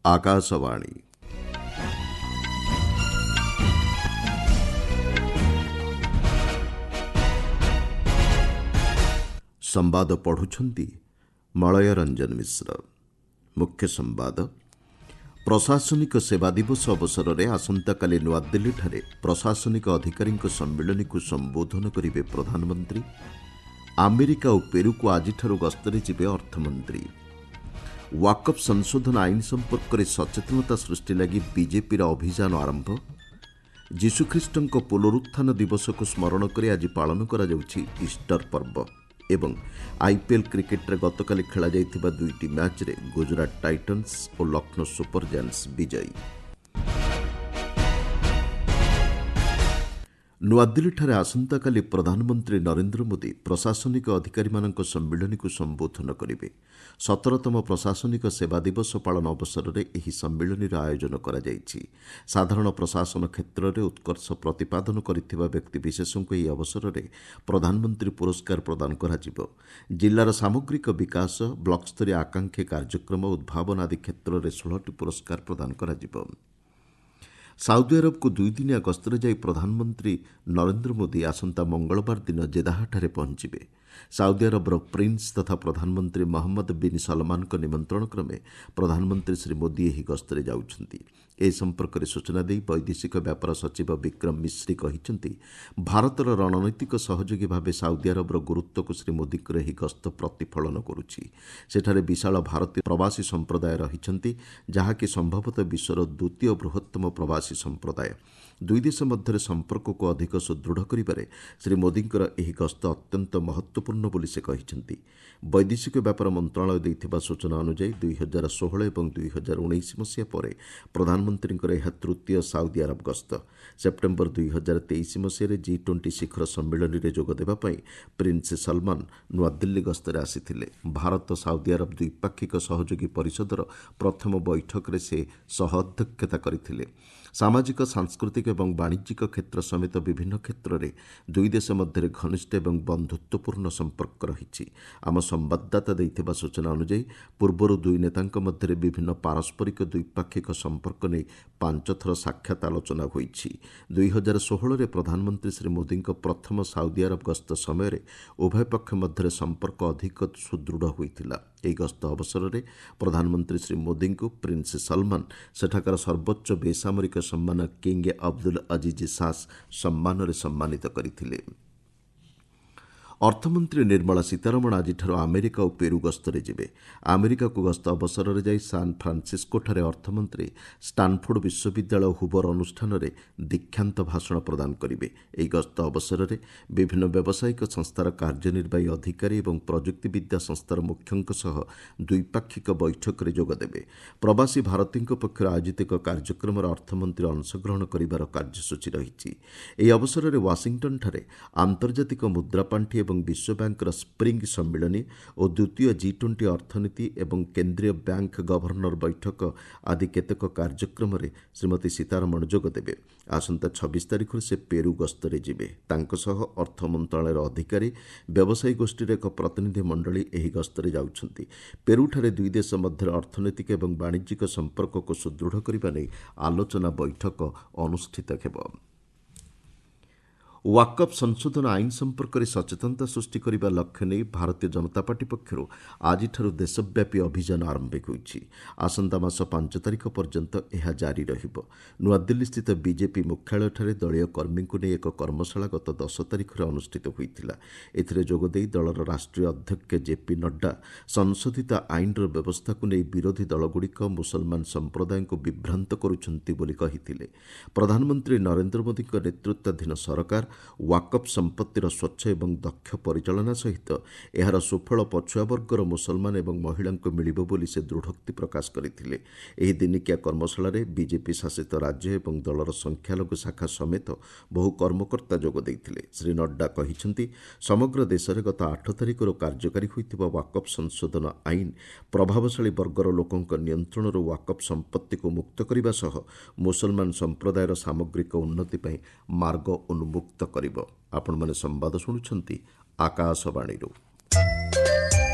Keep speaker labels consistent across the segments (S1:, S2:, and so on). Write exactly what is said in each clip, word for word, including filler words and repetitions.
S1: ଆକାଶବାଣୀ। ସମ୍ବାଦ ପଢ଼ୁଛନ୍ତି ମଳୟ ରଞ୍ଜନ ମିଶ୍ର। ମୁଖ୍ୟ ସମ୍ବାଦ। ପ୍ରଶାସନିକ ସେବା ଦିବସ ଅବସରରେ ଆସନ୍ତାକାଲି ନୂଆଦିଲ୍ଲୀଠାରେ ପ୍ରଶାସନିକ ଅଧିକାରୀଙ୍କ ସମ୍ମିଳନୀକୁ ସମ୍ବୋଧନ କରିବେ ପ୍ରଧାନମନ୍ତ୍ରୀ। ଆମେରିକା ଓ ପେରୁକୁ ଆଜିଠାରୁ ଗସ୍ତରେ ଯିବେ ଅର୍ଥମନ୍ତ୍ରୀ। ୱାକଫ୍ ସଂଶୋଧନ ଆଇନ ସମ୍ପର୍କରେ ସଚେତନତା ସୃଷ୍ଟି ଲାଗି ବିଜେପିର ଅଭିଯାନ ଆରମ୍ଭ। ଯୀଶୁଖ୍ରୀଷ୍ଟଙ୍କ ପୁନରୁତ୍ଥାନ ଦିବସକୁ ସ୍ମରଣ କରି ଆଜି ପାଳନ କରାଯାଉଛି ଇଷ୍ଟର ପର୍ବ। ଏବଂ ଆଇପିଏଲ୍ କ୍ରିକେଟ୍ରେ ଗତକାଲି ଖେଳାଯାଇଥିବା ଦୁଇଟି ମ୍ୟାଚ୍ରେ ଗୁଜରାଟ ଟାଇଟନ୍ସ ଓ ଲକ୍ଷ୍ନୌ ସୁପର ଜାଏଣ୍ଟସ୍ ବିଜୟୀ। ନୂଆଦିଲ୍ଲୀଠାରେ ଆସନ୍ତାକାଲି ପ୍ରଧାନମନ୍ତ୍ରୀ ନରେନ୍ଦ୍ର ମୋଦି ପ୍ରଶାସନିକ ଅଧିକାରୀମାନଙ୍କ ସମ୍ମିଳନୀକୁ ସମ୍ବୋଧନ କରିବେ। ସତରତମ ପ୍ରଶାସନିକ ସେବା ଦିବସ ପାଳନ ଅବସରରେ ଏହି ସମ୍ମିଳନୀର ଆୟୋଜନ କରାଯାଇଛି। ସାଧାରଣ ପ୍ରଶାସନ କ୍ଷେତ୍ରରେ ଉତ୍କର୍ଷ ପ୍ରତିପାଦନ କରିଥିବା ବ୍ୟକ୍ତିବିଶେଷଙ୍କୁ ଏହି ଅବସରରେ ପ୍ରଧାନମନ୍ତ୍ରୀ ପୁରସ୍କାର ପ୍ରଦାନ କରାଯିବ। ଜିଲ୍ଲାର ସାମଗ୍ରିକ ବିକାଶ, ବ୍ଲକସ୍ତରୀୟ ଆକାଂକ୍ଷୀ କାର୍ଯ୍ୟକ୍ରମ, ଉଦ୍ଭାବନ ଆଦି କ୍ଷେତ୍ରରେ ଷୋହଳଟି ପୁରସ୍କାର ପ୍ରଦାନ କରାଯିବ। ସାଉଦି ଆରବକୁ ଦୁଇଦିନିଆ ଗସ୍ତରେ ଯାଇ ପ୍ରଧାନମନ୍ତ୍ରୀ ନରେନ୍ଦ୍ର ମୋଦି ଆସନ୍ତା ମଙ୍ଗଳବାର ଦିନ ଜେଦାହଠାରେ ପହଞ୍ଚିବେ। ସାଉଦି ଆରବର ପ୍ରିନ୍ସ ତଥା ପ୍ରଧାନମନ୍ତ୍ରୀ ମହମ୍ମଦ ବିନ୍ ସଲମାନଙ୍କ ନିମନ୍ତ୍ରଣ କ୍ରମେ ପ୍ରଧାନମନ୍ତ୍ରୀ ଶ୍ରୀ ମୋଦି ଏହି ଗସ୍ତରେ ଯାଉଛନ୍ତି। ଏ ସମ୍ପର୍କରେ ସୂଚନା ଦେଇ ବୈଦେଶିକ ବ୍ୟାପାର ସଚିବ ବିକ୍ରମ ମିଶ୍ରି କହିଛନ୍ତି, ଭାରତର ରଣନୈତିକ ସହଯୋଗୀ ଭାବେ ସାଉଦି ଆରବର ଗୁରୁତ୍ୱକୁ ଶ୍ରୀ ମୋଦିଙ୍କର ଏହି ଗସ୍ତ ପ୍ରତିଫଳନ କରୁଛି। ସେଠାରେ ବିଶାଳ ଭାରତୀୟ ପ୍ରବାସୀ ସମ୍ପ୍ରଦାୟ ରହିଛନ୍ତି, ଯାହାକି ସମ୍ଭବତଃ ବିଶ୍ୱର ଦ୍ୱିତୀୟ ବୃହତ୍ତମ ପ୍ରବାସୀ ସମ୍ପ୍ରଦାୟ। ଦୁଇ ଦେଶ ମଧ୍ୟରେ ସମ୍ପର୍କକୁ ଅଧିକ ସୁଦୃଢ଼ କରିବାରେ ଶ୍ରୀ ମୋଦିଙ୍କର ଏହି ଗସ୍ତ ଅତ୍ୟନ୍ତ ମହତ୍ତ୍ୱପୂର୍ଣ୍ଣ ବୋଲି ସେ କହିଛନ୍ତି। ବୈଦେଶିକ ବ୍ୟାପାର ମନ୍ତ୍ରଣାଳୟ ଦେଇଥିବା ସୂଚନା ଅନୁଯାୟୀ ଦୁଇ ହଜାର ଷୋହଳ ଏବଂ ଦୁଇ ହଜାର ଉଣେଇଶ ମସିହା ପରେ ପ୍ରଧାନମନ୍ତ୍ରୀଙ୍କର ଏହା ତୃତୀୟ ସାଉଦି ଆରବ ଗସ୍ତ। ସେପ୍ଟେମ୍ବର ଦୁଇ ହଜାର ତେଇଶ ମସିହାରେ ଜି ଟ୍ୱେଣ୍ଟି ଶିଖର ସମ୍ମିଳନୀରେ ଯୋଗଦେବା ପାଇଁ ପ୍ରିନ୍ସ ସଲମାନ ନୂଆଦିଲ୍ଲୀ ଗସ୍ତରେ ଆସିଥିଲେ। ଭାରତ ସାଉଦି ଆରବ ଦ୍ୱିପାକ୍ଷିକ ସହଯୋଗୀ ପରିଷଦର ପ୍ରଥମ ବୈଠକରେ ସେ ସହ ଅଧ୍ୟକ୍ଷତା କରିଥିଲେ। ସାମାଜିକ, ସାଂସ୍କୃତିକ ଏବଂ ବାଣିଜ୍ୟିକ କ୍ଷେତ୍ର ସମେତ ବିଭିନ୍ନ କ୍ଷେତ୍ରରେ ଦୁଇ ଦେଶ ମଧ୍ୟରେ ଘନିଷ୍ଠ ଏବଂ ବନ୍ଧୁତ୍ୱପୂର୍ଣ୍ଣ ସମ୍ପର୍କ ରହିଛି। ଆମ ସମ୍ବାଦଦାତା ଦେଇଥିବା ସୂଚନା ଅନୁଯାୟୀ ପୂର୍ବରୁ ଦୁଇ ନେତାଙ୍କ ମଧ୍ୟରେ ବିଭିନ୍ନ ପାରସ୍ପରିକ ଦ୍ୱିପାକ୍ଷିକ ସମ୍ପର୍କ ନେଇ ପାଞ୍ଚ ଥର ସାକ୍ଷାତ ଆଲୋଚନା ହୋଇଛି। ଦୁଇ ହଜାର ଷୋହଳରେ ପ୍ରଧାନମନ୍ତ୍ରୀ ଶ୍ରୀ ମୋଦିଙ୍କ ପ୍ରଥମ ସାଉଦି ଆରବ ଗସ୍ତ ସମୟରେ ଉଭୟ ପକ୍ଷ ମଧ୍ୟରେ ସମ୍ପର୍କ ଅଧିକ ସୁଦୃଢ଼ ହୋଇଥିଲା। ଏହି ଗସ୍ତ ଅବସରରେ ପ୍ରଧାନମନ୍ତ୍ରୀ ଶ୍ରୀ ମୋଦିଙ୍କୁ ପ୍ରିନ୍ସ ସଲମାନ ସେଠାକାର ସର୍ବୋଚ୍ଚ ବେସାମରିକ ସମ୍ମାନ କିଙ୍ଗ ଅବଦୁଲ ଅଜିଜ୍ ସାସ୍ ସମ୍ମାନରେ ସମ୍ମାନିତ କରିଥିଲେ। ଅର୍ଥମନ୍ତ୍ରୀ ନିର୍ମଳା ସୀତାରମଣ ଆଜିଠାରୁ ଆମେରିକା ଓ ପେରୁ ଗସ୍ତରେ ଯିବେ। ଆମେରିକାକୁ ଗସ୍ତ ଅବସରରେ ଯାଇ ସାନ୍ ଫ୍ରାନ୍ସିସ୍କୋଠାରେ ଅର୍ଥମନ୍ତ୍ରୀ ଷ୍ଟାନଫୋର୍ଡ ବିଶ୍ୱବିଦ୍ୟାଳୟ ହୁବର ଅନୁଷ୍ଠାନରେ ଦୀକ୍ଷାନ୍ତ ଭାଷଣ ପ୍ରଦାନ କରିବେ। ଏହି ଗସ୍ତ ଅବସରରେ ବିଭିନ୍ନ ବ୍ୟବସାୟିକ ସଂସ୍ଥାର କାର୍ଯ୍ୟନିର୍ବାହୀ ଅଧିକାରୀ ଏବଂ ପ୍ରଯୁକ୍ତିବିଦ୍ୟା ସଂସ୍ଥାର ମୁଖ୍ୟଙ୍କ ସହ ଦ୍ୱିପାକ୍ଷିକ ବୈଠକରେ ଯୋଗଦେବେ। ପ୍ରବାସୀ ଭାରତୀୟଙ୍କ ପକ୍ଷରୁ ଆୟୋଜିତ ଏକ କାର୍ଯ୍ୟକ୍ରମରେ ଅର୍ଥମନ୍ତ୍ରୀ ଅଂଶଗ୍ରହଣ କରିବାର କାର୍ଯ୍ୟସୂଚୀ ରହିଛି। ଏହି ଅବସରରେ ୱାଶିଂଟନ୍ଠାରେ ଆନ୍ତର୍ଜାତିକ ମୁଦ୍ରାପାଣ୍ଠି ଏବଂ ବିଶ୍ୱ ବ୍ୟାଙ୍କର ସ୍ପ୍ରିଙ୍ଗ ସମ୍ମିଳନୀ ଓ ଦ୍ୱିତୀୟ ଜି ଟ୍ୱେଣ୍ଟି ଅର୍ଥନୀତି ଏବଂ କେନ୍ଦ୍ରୀୟ ବ୍ୟାଙ୍କ ଗଭର୍ଣ୍ଣର ବୈଠକ ଆଦି କେତେକ କାର୍ଯ୍ୟକ୍ରମରେ ଶ୍ରୀମତୀ ସୀତାରମଣ ଯୋଗଦେବେ। ଆସନ୍ତା ଛବିଶ ତାରିଖରୁ ସେ ପେରୁ ଗସ୍ତରେ ଯିବେ। ତାଙ୍କ ସହ ଅର୍ଥ ମନ୍ତ୍ରଣାଳୟର ଅଧିକାରୀ, ବ୍ୟବସାୟୀ ଗୋଷ୍ଠୀର ଏକ ପ୍ରତିନିଧି ମଣ୍ଡଳୀ ଏହି ଗସ୍ତରେ ଯାଉଛନ୍ତି। ପେରୁଠାରେ ଦୁଇ ଦେଶ ମଧ୍ୟରେ ଅର୍ଥନୈତିକ ଏବଂ ବାଣିଜ୍ୟିକ ସମ୍ପର୍କକୁ ସୁଦୃଢ଼ କରିବା ନେଇ ଆଲୋଚନା ବୈଠକ ଅନୁଷ୍ଠିତ ହେବ। ୱାକଫ୍ ସଂଶୋଧନ ଆଇନ ସମ୍ପର୍କରେ ସଚେତନତା ସୃଷ୍ଟି କରିବା ଲକ୍ଷ୍ୟ ନେଇ ଭାରତୀୟ ଜନତା ପାର୍ଟି ପକ୍ଷରୁ ଆଜିଠାରୁ ଦେଶବ୍ୟାପୀ ଅଭିଯାନ ଆରମ୍ଭ ହୋଇଛି। ଆସନ୍ତା ମାସ ପାଞ୍ଚ ତାରିଖ ପର୍ଯ୍ୟନ୍ତ ଏହା ଜାରି ରହିବ। ନୂଆଦିଲ୍ଲୀସ୍ଥିତ ବିଜେପି ମୁଖ୍ୟାଳୟଠାରେ ଦଳୀୟ କର୍ମୀଙ୍କୁ ନେଇ ଏକ କର୍ମଶାଳା ଗତ ଦଶ ତାରିଖରେ ଅନୁଷ୍ଠିତ ହୋଇଥିଲା। ଏଥିରେ ଯୋଗଦେଇ ଦଳର ରାଷ୍ଟ୍ରୀୟ ଅଧ୍ୟକ୍ଷ ଜେପି ନଡ୍ଡା ସଂଶୋଧିତ ଆଇନର ବ୍ୟବସ୍ଥାକୁ ନେଇ ବିରୋଧୀ ଦଳଗୁଡ଼ିକ ମୁସଲମାନ ସମ୍ପ୍ରଦାୟଙ୍କୁ ବିଭ୍ରାନ୍ତ କରୁଛନ୍ତି ବୋଲି କହିଥିଲେ। ପ୍ରଧାନମନ୍ତ୍ରୀ ନରେନ୍ଦ୍ର ମୋଦିଙ୍କ ନେତୃତ୍ୱାଧୀନ ସରକାର ୱାକଫ୍ ସମ୍ପତ୍ତିର ସ୍ୱଚ୍ଛ ଏବଂ ଦକ୍ଷ ପରିଚାଳନା ସହିତ ଏହାର ସୁଫଳ ପଛୁଆ ବର୍ଗର ମୁସଲମାନ ଏବଂ ମହିଳାଙ୍କୁ ମିଳିବ ବୋଲି ସେ ଦୃଢ଼ୋକ୍ତି ପ୍ରକାଶ କରିଥିଲେ। ଏହି ଦିନିକିଆ କର୍ମଶାଳାରେ ବିଜେପି ଶାସିତ ରାଜ୍ୟ ଏବଂ ଦଳର ସଂଖ୍ୟାଲଘୁ ଶାଖା ସମେତ ବହୁ କର୍ମକର୍ତ୍ତା ଯୋଗ ଦେଇଥିଲେ। ଶ୍ରୀ ନଡ୍ଡା କହିଛନ୍ତି, ସମଗ୍ର ଦେଶରେ ଗତ ଆଠ ତାରିଖରୁ କାର୍ଯ୍ୟକାରୀ ହୋଇଥିବା ୱାକଫ୍ ସଂଶୋଧନ ଆଇନ ପ୍ରଭାବଶାଳୀ ବର୍ଗର ଲୋକଙ୍କ ନିୟନ୍ତ୍ରଣରୁ ୱାକଫ୍ ସମ୍ପତ୍ତିକୁ ମୁକ୍ତ କରିବା ସହ ମୁସଲମାନ ସମ୍ପ୍ରଦାୟର ସାମଗ୍ରିକ ଉନ୍ନତି ପାଇଁ ମାର୍ଗ ଉନ୍ମୁକ୍ତ କରିବ। ଆପଣମାନେ ସମ୍ବାଦ ଶୁଣୁଛନ୍ତି ଆକାଶବାଣୀରୁ।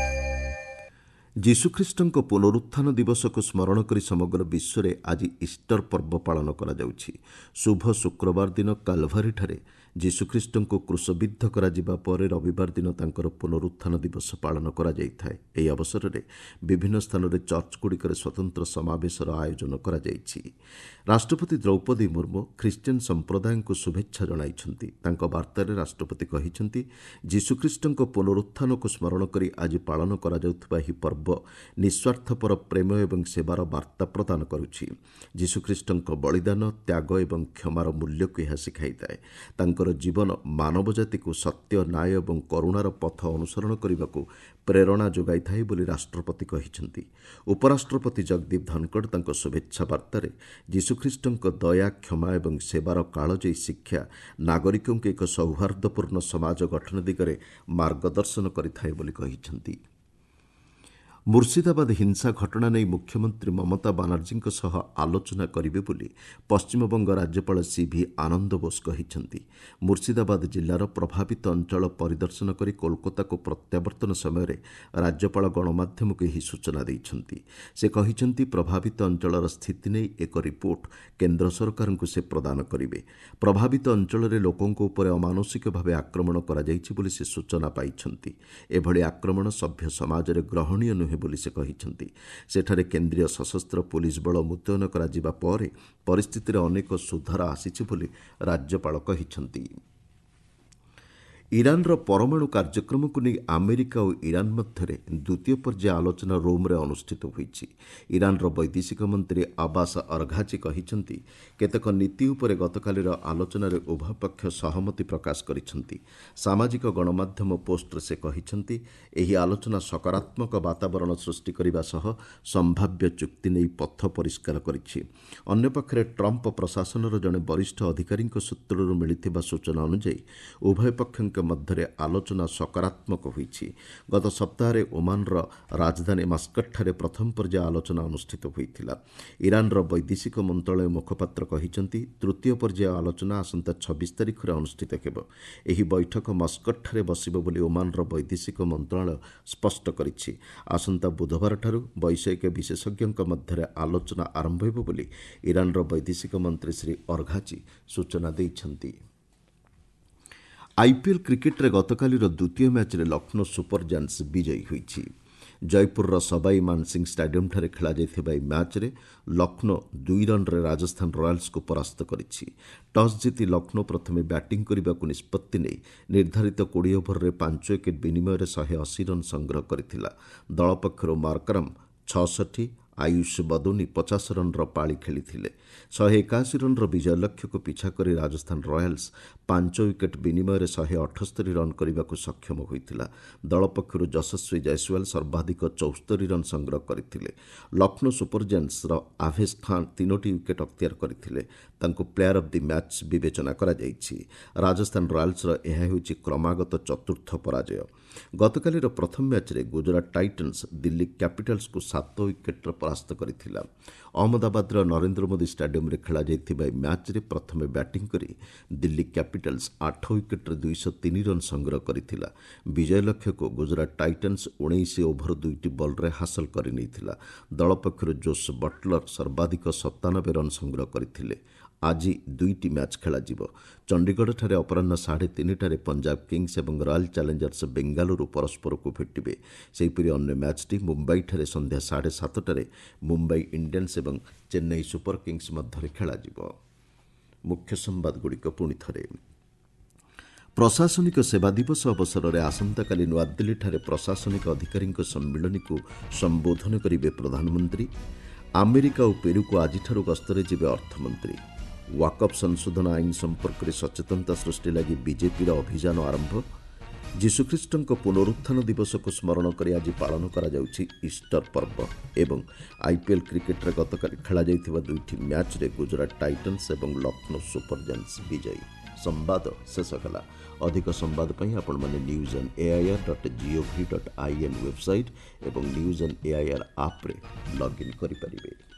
S1: ଯୀଶୁଖ୍ରୀଷ୍ଟଙ୍କ ପୁନରୁତ୍ଥାନ ଦିବସକୁ ସ୍ମରଣ କରି ସମଗ୍ର ବିଶ୍ୱରେ ଆଜି ଇଷ୍ଟର ପର୍ବ ପାଳନ କରାଯାଉଛି। ଶୁଭ ଶୁକ୍ରବାର ଦିନ କାଲଭାରୀଠାରେ ଯୀଶୁଖ୍ରୀଷ୍ଟଙ୍କୁ କ୍ରୁଶବିଦ୍ଧ କରାଯିବା ପରେ ରବିବାର ଦିନ ତାଙ୍କର ପୁନରୁତ୍ଥାନ ଦିବସ ପାଳନ କରାଯାଇଥାଏ। ଏହି ଅବସରରେ ବିଭିନ୍ନ ସ୍ଥାନରେ ଚର୍ଚ୍ଚଗୁଡ଼ିକରେ ସ୍ୱତନ୍ତ୍ର ସମାବେଶର ଆୟୋଜନ କରାଯାଇଛି। ରାଷ୍ଟ୍ରପତି ଦ୍ରୌପଦୀ ମୁର୍ମୁ ଖ୍ରୀଷ୍ଟିଆନ ସମ୍ପ୍ରଦାୟଙ୍କୁ ଶୁଭେଚ୍ଛା ଜଣାଇଛନ୍ତି। ତାଙ୍କ ବାର୍ତ୍ତାରେ ରାଷ୍ଟ୍ରପତି କହିଛନ୍ତି, ଯୀଶୁଖ୍ରୀଷ୍ଟଙ୍କ ପୁନରୁତ୍ଥାନକୁ ସ୍ମରଣ କରି ଆଜି ପାଳନ କରାଯାଉଥିବା ଏହି ପର୍ବ ନିଃସ୍ୱାର୍ଥପର ପ୍ରେମ ଏବଂ ସେବାର ବାର୍ତ୍ତା ପ୍ରଦାନ କରୁଛି। ଯୀଶୁଖ୍ରୀଷ୍ଟଙ୍କ ବଳିଦାନ, ତ୍ୟାଗ ଏବଂ କ୍ଷମାର ମୂଲ୍ୟକୁ ଏହା ଶିଖାଇଥାଏ। ତାଙ୍କର ଜୀବନ ମାନବ ଜାତିକୁ ସତ୍ୟ, ନ୍ୟାୟ ଏବଂ କରୁଣାର ପଥ ଅନୁସରଣ କରିବାକୁ ପ୍ରେରଣା ଯୋଗାଇଥାଏ ବୋଲି ରାଷ୍ଟ୍ରପତି କହିଛନ୍ତି। ଉପରାଷ୍ଟ୍ରପତି ଜଗଦୀପ ଧନଖଡ଼ ତାଙ୍କ ଶୁଭେଚ୍ଛା ବାର୍ତ୍ତାରେ ଯୀଶୁଖ୍ରୀଷ୍ଟଙ୍କ ଦୟା, କ୍ଷମା ଏବଂ ସେବାର କାଳଜୟୀ ଶିକ୍ଷା ନାଗରିକଙ୍କୁ ଏକ ସୌହାର୍ଦ୍ଦ୍ୟପୂର୍ଣ୍ଣ ସମାଜ ଗଠନ ଦିଗରେ ମାର୍ଗଦର୍ଶନ କରିଥାଏ ବୋଲି କହିଛନ୍ତି। ମୁର୍ଶିଦାବାଦ ହିଂସା ଘଟଣା ନେଇ ମୁଖ୍ୟମନ୍ତ୍ରୀ ମମତା ବାନାର୍ଜୀଙ୍କ ସହ ଆଲୋଚନା କରିବେ ବୋଲି ପଶ୍ଚିମବଙ୍ଗ ରାଜ୍ୟପାଳ ସିଭି ଆନନ୍ଦ ବୋଷ କହିଛନ୍ତି। ମୁର୍ଶିଦାବାଦ ଜିଲ୍ଲାର ପ୍ରଭାବିତ ଅଞ୍ଚଳ ପରିଦର୍ଶନ କରି କୋଲକାତାକୁ ପ୍ରତ୍ୟାବର୍ତ୍ତନ ସମୟରେ ରାଜ୍ୟପାଳ ଗଣମାଧ୍ୟମକୁ ଏହି ସୂଚନା ଦେଇଛନ୍ତି। ସେ କହିଛନ୍ତି, ପ୍ରଭାବିତ ଅଞ୍ଚଳର ସ୍ଥିତି ନେଇ ଏକ ରିପୋର୍ଟ କେନ୍ଦ୍ର ସରକାରଙ୍କୁ ସେ ପ୍ରଦାନ କରିବେ। ପ୍ରଭାବିତ ଅଞ୍ଚଳରେ ଲୋକଙ୍କ ଉପରେ ଅମାନୁଷିକ ଭାବେ ଆକ୍ରମଣ କରାଯାଇଛି ବୋଲି ସେ ସୂଚନା ପାଇଛନ୍ତି। ଏଭଳି ଆକ୍ରମଣ ସଭ୍ୟ ସମାଜରେ ଗ୍ରହଣୀୟ ନୁହେଁ ବୋଲି ସେ କହିଛନ୍ତି। ସେଠାରେ କେନ୍ଦ୍ରୀୟ ସଶସ୍ତ୍ର ପୋଲିସ ବଳ ମୁତୟନ କରାଯିବା ପରେ ପରିସ୍ଥିତିରେ ଅନେକ ସୁଧାର ଆସିଛି ବୋଲି ରାଜ୍ୟପାଳ କହିଛନ୍ତି। ଇରାନର ପରମାଣୁ କାର୍ଯ୍ୟକ୍ରମକୁ ନେଇ ଆମେରିକା ଓ ଇରାନ ମଧ୍ୟରେ ଦ୍ୱିତୀୟ ପର୍ଯ୍ୟାୟ ଆଲୋଚନା ରୋମ୍ରେ ଅନୁଷ୍ଠିତ ହୋଇଛି। ଇରାନର ବୈଦେଶିକ ମନ୍ତ୍ରୀ ଆବାସ ଅରଘାଚି କହିଛନ୍ତି, କେତେକ ନୀତି ଉପରେ ଗତକାଲିର ଆଲୋଚନାରେ ଉଭୟ ପକ୍ଷ ସହମତି ପ୍ରକାଶ କରିଛନ୍ତି। ସାମାଜିକ ଗଣମାଧ୍ୟମ ପୋଷ୍ଟରେ ସେ କହିଛନ୍ତି, ଏହି ଆଲୋଚନା ସକାରାତ୍ମକ ବାତାବରଣ ସୃଷ୍ଟି କରିବା ସହ ସମ୍ଭାବ୍ୟ ଚୁକ୍ତି ନେଇ ପଥ ପରିଷ୍କାର କରିଛି। ଅନ୍ୟପକ୍ଷରେ ଟ୍ରମ୍ପ ପ୍ରଶାସନର ଜଣେ ବରିଷ୍ଠ ଅଧିକାରୀଙ୍କ ସୂତ୍ରରୁ ମିଳିଥିବା ସୂଚନା ଅନୁଯାୟୀ ଉଭୟ ପକ୍ଷଙ୍କ ମଧ୍ୟରେ ଆଲୋଚନା ସକାରାତ୍ମକ ହୋଇଛି। ଗତ ସପ୍ତାହରେ ଓମାନର ରାଜଧାନୀ ମାସ୍କଟଠାରେ ପ୍ରଥମ ପର୍ଯ୍ୟାୟ ଆଲୋଚନା ଅନୁଷ୍ଠିତ ହୋଇଥିଲା। ଇରାନର ବୈଦେଶିକ ମନ୍ତ୍ରଣାଳୟ ମୁଖପାତ୍ର କହିଛନ୍ତି, ତୃତୀୟ ପର୍ଯ୍ୟାୟ ଆଲୋଚନା ଆସନ୍ତା ଛବିଶ ତାରିଖରେ ଅନୁଷ୍ଠିତ ହେବ। ଏହି ବୈଠକ ମସ୍କଟଠାରେ ବସିବ ବୋଲି ଓମାନର ବୈଦେଶିକ ମନ୍ତ୍ରଣାଳୟ ସ୍ପଷ୍ଟ କରିଛି। ଆସନ୍ତା ବୁଧବାରଠାରୁ ବୈଷୟିକ ବିଶେଷଜ୍ଞଙ୍କ ମଧ୍ୟରେ ଆଲୋଚନା ଆରମ୍ଭ ହେବ ବୋଲି ଇରାନର ବୈଦେଶିକ ମନ୍ତ୍ରୀ ଶ୍ରୀ ଅରଘାଚି ସୂଚନା ଦେଇଛନ୍ତି। ଆଇପିଏଲ୍ କ୍ରିକେଟ୍ରେ ଗତକାଲିର ଦ୍ୱିତୀୟ ମ୍ୟାଚ୍ରେ ଲକ୍ଷ୍ନୌ ସୁପର ଜାଏଣ୍ଟସ୍ ବିଜୟୀ ହୋଇଛି। ଜୟପୁରର ସବାଇ ମାନସିଂ ଷ୍ଟାଡିୟମ୍ଠାରେ ଖେଳାଯାଇଥିବା ଏହି ମ୍ୟାଚ୍ରେ ଲକ୍ଷ୍ନୌ ଦୁଇ ରନ୍ରେ ରାଜସ୍ଥାନ ରୟାଲ୍ସକୁ ପରାସ୍ତ କରିଛି। ଟସ୍ ଜିତି ଲକ୍ଷ୍ନୌ ପ୍ରଥମେ ବ୍ୟାଟିଂ କରିବାକୁ ନିଷ୍ପତ୍ତି ନେଇ ନିର୍ଦ୍ଧାରିତ କୋଡ଼ିଏ ଓଭରରେ ପାଞ୍ଚ ୱିକେଟ୍ ବିନିମୟରେ ଶହେ ଅଶୀ ରନ୍ ସଂଗ୍ରହ କରିଥିଲା। ଦଳ ପକ୍ଷରୁ ମାର୍କରମ୍ ଛଅଷଠି, ଆୟୁଷ ବଦୋନି ପଚାଶ ରନ୍ର ପାଳି ଖେଳିଥିଲେ। ଶହେ ଏକାଅଶୀ ରନ୍ର ବିଜୟ ଲକ୍ଷ୍ୟକୁ ପିଛା କରି ରାଜସ୍ଥାନ ରୟାଲ୍ସ ପାଞ୍ଚ ୱିକେଟ୍ ବିନିମୟରେ ଶହେ ଅଠସ୍ତରୀ ରନ୍ କରିବାକୁ ସକ୍ଷମ ହୋଇଥିଲା। ଦଳ ପକ୍ଷରୁ ଯଶସ୍ୱୀ ଜୟସ୍ୱାଲ ସର୍ବାଧିକ ଚଉସ୍ତରୀ ରନ୍ ସଂଗ୍ରହ କରିଥିଲେ। ଲକ୍ଷ୍ନୌ ସୁପର ଜାଏଣ୍ଟସ୍ର ଆଭେଶ ଖାନ୍ ତିନୋଟି ୱିକେଟ୍ ଅକ୍ତିଆର କରିଥିଲେ। ତାଙ୍କୁ ପ୍ଲେୟାର ଅଫ୍ the match ବିବେଚନା କରାଯାଇଛି। ରାଜସ୍ଥାନ ରୟାଲ୍ସର ଏହା ହେଉଛି କ୍ରମାଗତ ଚତୁର୍ଥ ପରାଜୟ। ଗତକାଲିର ପ୍ରଥମ ମ୍ୟାଚ୍ରେ ଗୁଜରାଟ ଟାଇଟନ୍ସ ଦିଲ୍ଲୀ କ୍ୟାପିଟାଲ୍ସକୁ ସାତ ୱିକେଟ୍ରେ ପରାସ୍ତ କରିଥିଲା। ଅହମ୍ମଦାବାଦର ନରେନ୍ଦ୍ର ମୋଦି ଷ୍ଟାଡିୟମ୍ରେ ଖେଳାଯାଇଥିବା ଏହି ମ୍ୟାଚ୍ରେ ପ୍ରଥମେ ବ୍ୟାଟିଂ କରି ଦିଲ୍ଲୀ କ୍ୟାପିଟାଲ୍ସ ଆଠ ୱିକେଟ୍ରେ ଦୁଇଶହ ତିନି ରନ୍ ସଂଗ୍ରହ କରିଥିଲା। ବିଜୟ ଲକ୍ଷ୍ୟକୁ ଗୁଜରାଟ ଟାଇଟନ୍ସ ଉଣେଇଶ ଓଭର ଦୁଇଟି ବଲ୍ରେ ହାସଲ କରିନେଇଥିଲା। ଦଳ ପକ୍ଷରୁ ଜୋସ୍ ବଟଲର ସର୍ବାଧିକ ସତାନବେ ରନ୍ ସଂଗ୍ରହ କରିଥିଲେ। ଆଜି ଦୁଇଟି ମ୍ୟାଚ୍ ଖେଳାଯିବ। ଚଣ୍ଡିଗଡ଼ଠାରେ ଅପରାହ୍ନ ସାଢ଼େ ତିନିଟାରେ ପଞ୍ଜାବ କିଙ୍ଗସ୍ ଏବଂ ରୟାଲ୍ ଚ୍ୟାଲେଞ୍ଜର୍ସ ବେଙ୍ଗାଲୁରୁ ପରସ୍ପରକୁ ଭେଟିବେ। ସେହିପରି ଅନ୍ୟ ମ୍ୟାଚ୍ଟି ମୁମ୍ବାଇଠାରେ ସନ୍ଧ୍ୟା ସାଢ଼େ ସାତଟାରେ ମୁମ୍ବାଇ ଇଣ୍ଡିଆନ୍ସ ଏବଂ ଚେନ୍ନାଇ ସୁପର କିଙ୍ଗସ୍ ମଧ୍ୟରେ ଖେଳାଯିବ। ମୁଖ୍ୟ ସମ୍ବାଦଗୁଡ଼ିକ ପୁଣି ଥରେ। ପ୍ରଶାସନିକ ସେବା ଦିବସ ଅବସରରେ ଆସନ୍ତାକାଲି ନୂଆଦିଲ୍ଲୀଠାରେ ପ୍ରଶାସନିକ ଅଧିକାରୀଙ୍କ ସମ୍ମିଳନୀକୁ ସମ୍ବୋଧନ କରିବେ ପ୍ରଧାନମନ୍ତ୍ରୀ। ଆମେରିକା ଓ ପେରୁକୁ ଆଜିଠାରୁ ଗସ୍ତରେ ଯିବେ ଅର୍ଥମନ୍ତ୍ରୀ। ୱାକଫ୍ ସଂଶୋଧନ ଆଇନ ସମ୍ପର୍କରେ ସଚେତନତା ସୃଷ୍ଟି ଲାଗି ବିଜେପିର ଅଭିଯାନ ଆରମ୍ଭ। ଯୀଶୁଖ୍ରୀଷ୍ଟଙ୍କ ପୁନରୁତ୍ଥାନ ଦିବସକୁ ସ୍ମରଣ କରି ଆଜି ପାଳନ କରାଯାଉଛି ଇଷ୍ଟର ପର୍ବ। ଏବଂ ଆଇପିଏଲ୍ କ୍ରିକେଟ୍ରେ ଗତକାଲି ଖେଳାଯାଇଥିବା ଦୁଇଟି ମ୍ୟାଚ୍ରେ ଗୁଜରାଟ ଟାଇଟନ୍ସ ଏବଂ ଲକ୍ଷ୍ନୌ ସୁପର ଜାଏଣ୍ଟସ୍ ବିଜୟୀ। ସମ୍ବାଦ ଶେଷ ହେଲା। ଅଧିକ ସମ୍ବାଦ ପାଇଁ ଆପଣମାନେ news on AIR dot gov dot I N website ଏବଂ ନ୍ୟୁଜ୍ ଅନ୍ ଏଆଇଆର୍ ଆପ୍ରେ ଲଗ୍ଇନ୍ କରିପାରିବେ।